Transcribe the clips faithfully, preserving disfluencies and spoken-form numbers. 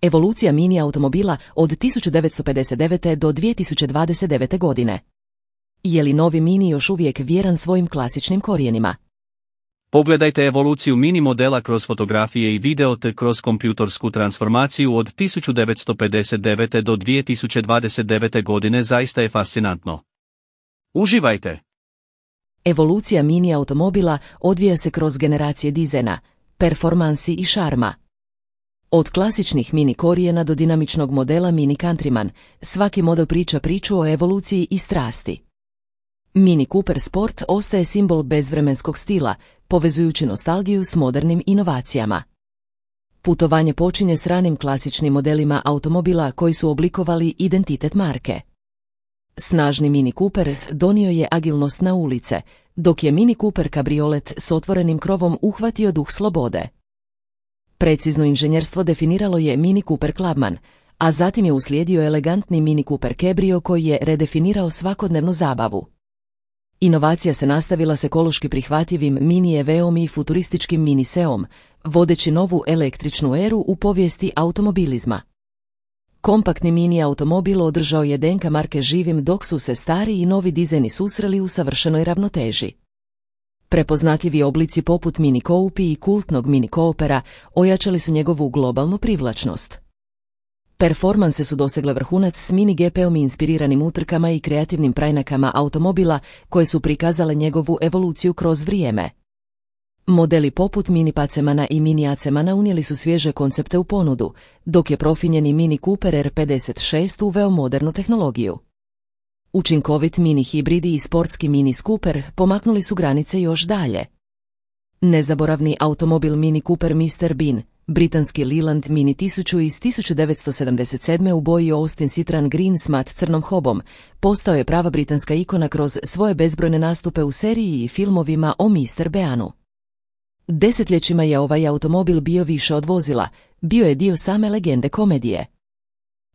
Evolucija mini automobila od tisuću devetsto pedeset devete. do dvije tisuće dvadeset devete. godine. Je li novi Mini još uvijek vjeran svojim klasičnim korijenima? Pogledajte evoluciju Mini modela kroz fotografije i video te kroz kompjutorsku transformaciju od tisuću devetsto pedeset devete. do dvije tisuće dvadeset devete. godine zaista je fascinantno. Uživajte! Evolucija Mini automobila odvija se kroz generacije dizajna, performansi i šarma. Od klasičnih Mini korijena do dinamičnog modela Mini Countryman, svaki model priča priču o evoluciji i strasti. Mini Cooper Sport ostaje simbol bezvremenskog stila, povezujući nostalgiju s modernim inovacijama. Putovanje počinje s ranim klasičnim modelima automobila koji su oblikovali identitet marke. Snažni Mini Cooper donio je agilnost na ulice, dok je Mini Cooper kabriolet s otvorenim krovom uhvatio duh slobode. Precizno inženjerstvo definiralo je Mini Cooper Clubman, a zatim je uslijedio elegantni Mini Cooper Cabrio koji je redefinirao svakodnevnu zabavu. Inovacija se nastavila s ekološki prihvatljivim Mini E V-om i futurističkim Mini Seom, vodeći novu električnu eru u povijesti automobilizma. Kompaktni Mini automobil održao je D N K marke živim dok su se stari i novi dizajni susreli u savršenoj ravnoteži. Prepoznatljivi oblici poput Mini Coupe i kultnog Mini Coopera ojačali su njegovu globalnu privlačnost. Performanse su dosegle vrhunac s Mini G P-om i inspiriranim utrkama i kreativnim preinakama automobila koje su prikazale njegovu evoluciju kroz vrijeme. Modeli poput Mini Pacemana i Mini Acemana unijeli su svježe koncepte u ponudu, dok je profinjeni Mini Cooper R pedeset šest uveo modernu tehnologiju. Učinkovit Mini hibridi i sportski Mini Scooper pomaknuli su granice još dalje. Nezaboravni automobil Mini Cooper mister Bean, britanski Leland Mini tisuću iz tisuću devetsto sedamdeset sedme u boji Austin Citroen Green s mat crnom hobom, postao je prava britanska ikona kroz svoje bezbrojne nastupe u seriji i filmovima o mister Beanu. Desetljećima je ovaj automobil bio više od vozila, bio je dio same legende komedije.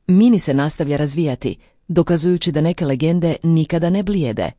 Mini se nastavlja razvijati, dokazujući da neke legende nikada ne blijede.